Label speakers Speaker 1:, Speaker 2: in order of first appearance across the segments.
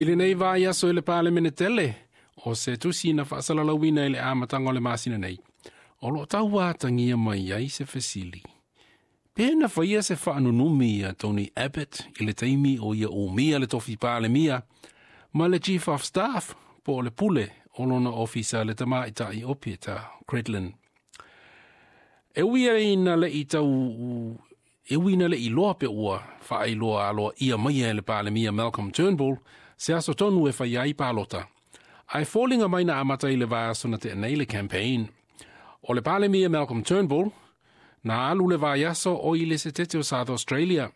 Speaker 1: I lenei vaiaso i le Palemene tele, o se tusi na faasalalauina i le amataga o le masina nei, o loo tauatagia mai ai se fesili. Pe na faia se faanunumi ia Tony Abbott i le taimi o ia umia le tofi Palemia ma le Chief of Staff po o le pule o lona ofisa le tamaitai o Peter Credlin. E ui ina le i tau e ui ina le iloa pe ua faailoa aloaia mai e le Palemia Malcolm Turnbull se aso tonu e fai ai palota. Ae foliga mai na amata i le vaiaso na tea nei le campaign. O le Palemia Malcolm Turnbull na alu le vaiaso o i le setete o South Australia.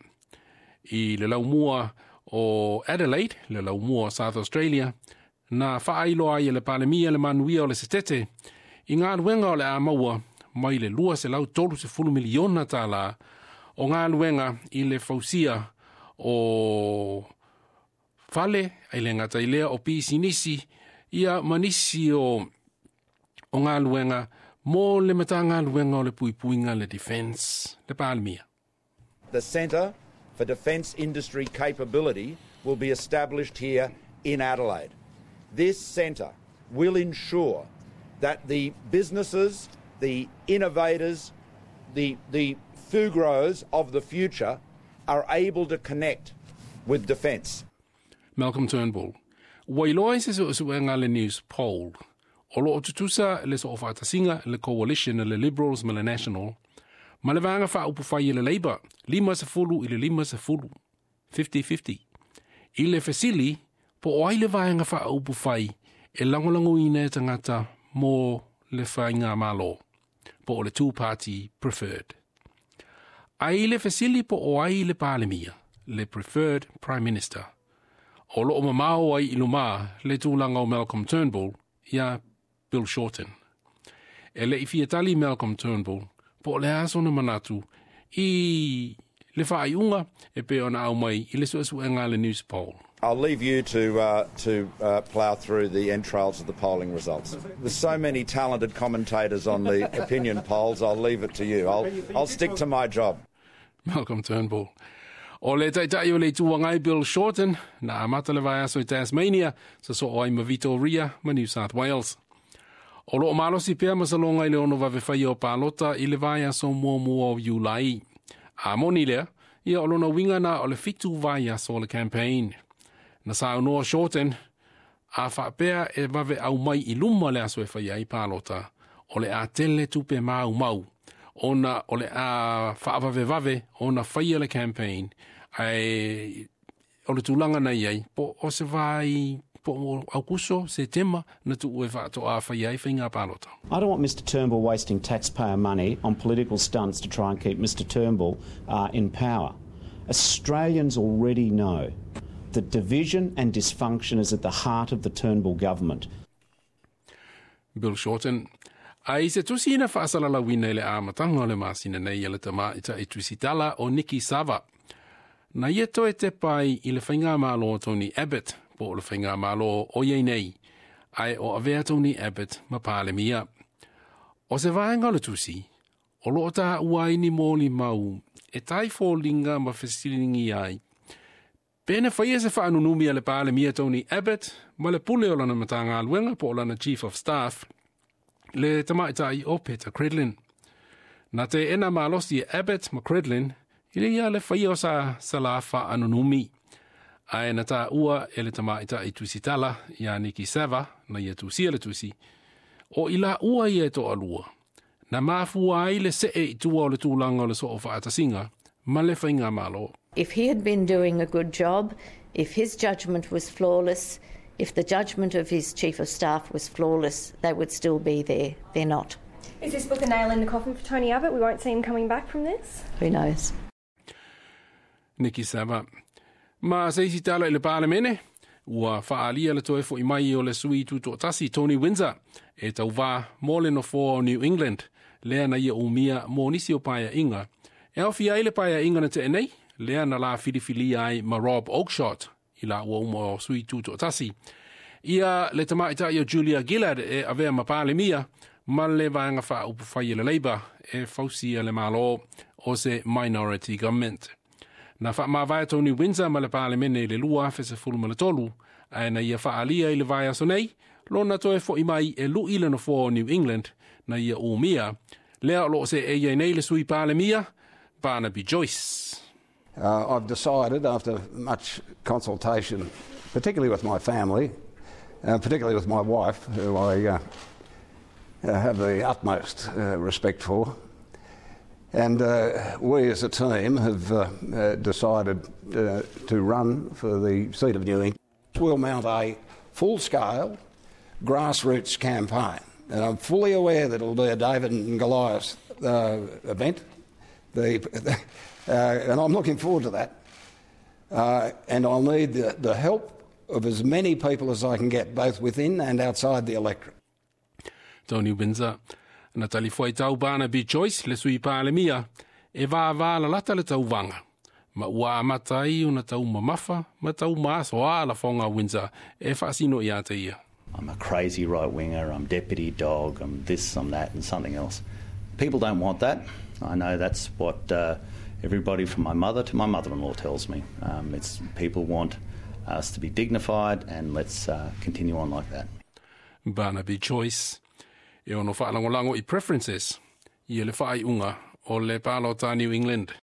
Speaker 1: I le laumua o Adelaide, le laumua o South Australia, na faailoa ai e le Palemia le manuia o le setete i galuega o le a maua mai le $230 miliona tālā o galuega i le fausia o fale, ai le gata i lea o pisinisi, ia ma nisi o galuega mo le Matagaluega o le Puipuiga le Defence, le Palemia.
Speaker 2: The Centre for Defence Industry Capability will be established here in Adelaide. This centre will ensure that the businesses, the innovators, the Fugros of the future are able to connect with defence.
Speaker 1: Malcolm Turnbull. Ua iloa i se suesuega a le Newspoll. O loo tutusa le soofaatasiga le coalition le Liberals ma le National, ma le Vaega Faaupufai e le Labour, 50 i le 50, 50-50. I le fesili, po o ai le Vaega Faaupufai e lagolagoina e tagata mo le faigamalo, po o le two-party preferred. Ae i le fesili po o ai le Palemia, le preferred Prime Minister, o loo mamao ai i lumā le tulaga o Malcolm Turnbull ia Bill Shorten. E le i fia tali Malcolm Turnbull po o le a sona manatu i le faaiuga e pei ona aumai i le suesuega a le Newspoll.
Speaker 2: I'll leave you to plough through the entrails of the polling results. There's so many talented commentators on the opinion polls, I'll leave it to you. I'll stick to my job.
Speaker 1: Malcolm Turnbull. O le Taitai o le Itu Agai Bill Shorten, na amata le vaiaso i Tasmania, sosoo ai ma Victoria ma New South Wales. O loo malosi pea masaloga i le 6 vave faia o palota i le vaiaso muamua o Iulai. A moni lea, ia o lona uiga na o le 7 vaiaso o le campaign. Na saunoa Shorten, a faapea e vave aumai i luma le aso e faia ai palota, o le a tele tupe maumau, ona o le a faavavevave ona faia le campaign, ae o le tulaga na i ai, po o se vai po o Aukuso, Setema, na tuu e faatoa faia ai faiga palota.
Speaker 3: I don't want Mr Turnbull wasting taxpayer money on political stunts to try and keep Mr Turnbull in power. Australians already know that division and dysfunction is at the heart of the Turnbull government.
Speaker 1: Bill Shorten. Ae i se tusi na faasalalauina i le amataga o le masina nei e le tamaitai tusitala o Niki Savva. Na ia toe tepa ai i le faigamalo Tony Abbott, po o le faigamalo o i ai nei, ae o avea Tony Abbott ma Palemia. O se vaega o le tusi, o loo taua ai ni molimau e taifoliga ma fesiligia ai. Pe na faia se faanunumi a le Palemia Tony Abbott ma le pule o lana Matagaluega po o lana Chief of Staff, le tamaitai o Peter Credlin. Na teena malosi e Abbott ma Credlin i le ia le faia o sa sa faanunumi. Ae na taua e le tamaitai tusitala ia Niki Savva, na ia tusia le tusi, o i laua ia e toalua. Na mafua ai le see i tua o le tulaga o le soofaatasiga ma le faigamalo.
Speaker 4: If he had been doing a good job, if his judgment was flawless, if the judgment of his chief of staff was flawless, they would still be there. They're not.
Speaker 5: Is this book a nail in the coffin for Tony Abbott? We won't see him coming back from this?
Speaker 4: Who knows?
Speaker 1: Niki Savva. Ma se isi tala i le Palemene, ua faaalia le toe fo'i mai o le sui tutoatasi Tony Windsor e tauvā mo le nofoa o New England, lea na ia umia mo nisi o paeaiga. E aofia ai le paeaiga na tea nei, lea na la filifilia ai ma Rob Oakeshott i laua uma o sui tutoatasi. Ia le tamaitai o Julia Gillard e avea ma Palemia ma le Vaega Faaupufai e le Labour e fausia le Malo o se minority government. Na faamavae Tony Windsor ma le Palemene i le 2013, Ae na ia faaalia i le vaiaso nei, lona toe fo'i mai e lu'i le nofoa o New England na ia umia, lea o loo seei ai nei le sui palemia, Barnaby Joyce.
Speaker 6: I've decided after much consultation, particularly with my family, particularly with my wife, who I have the utmost respect for, and we as a team have decided to run for the seat of New England. We'll mount a full-scale grassroots campaign, and I'm fully aware that it'll be a David and Goliath event, and I'm looking forward to that. And I'll need the help of as many people as I can get, both within and outside the electorate.
Speaker 1: Tony Windsor. Na talifuaitau Barnaby Joyce le sui palemia, e vavā lalata le tauvaga. Ma ua amata ai ona taumamafa ma taumasoa lafoga a Windsor e faasino ia te ia.
Speaker 7: I'm a crazy right winger, I'm deputy dog, I'm this, I'm that, and something else. People don't want that. I know that's what everybody from my mother to my mother in law tells me. It's people want us to be dignified, and let's continue on like that.
Speaker 1: Barnaby Joyce. E ono faalagolago i preferences, ia le faaiuga o le palota New England.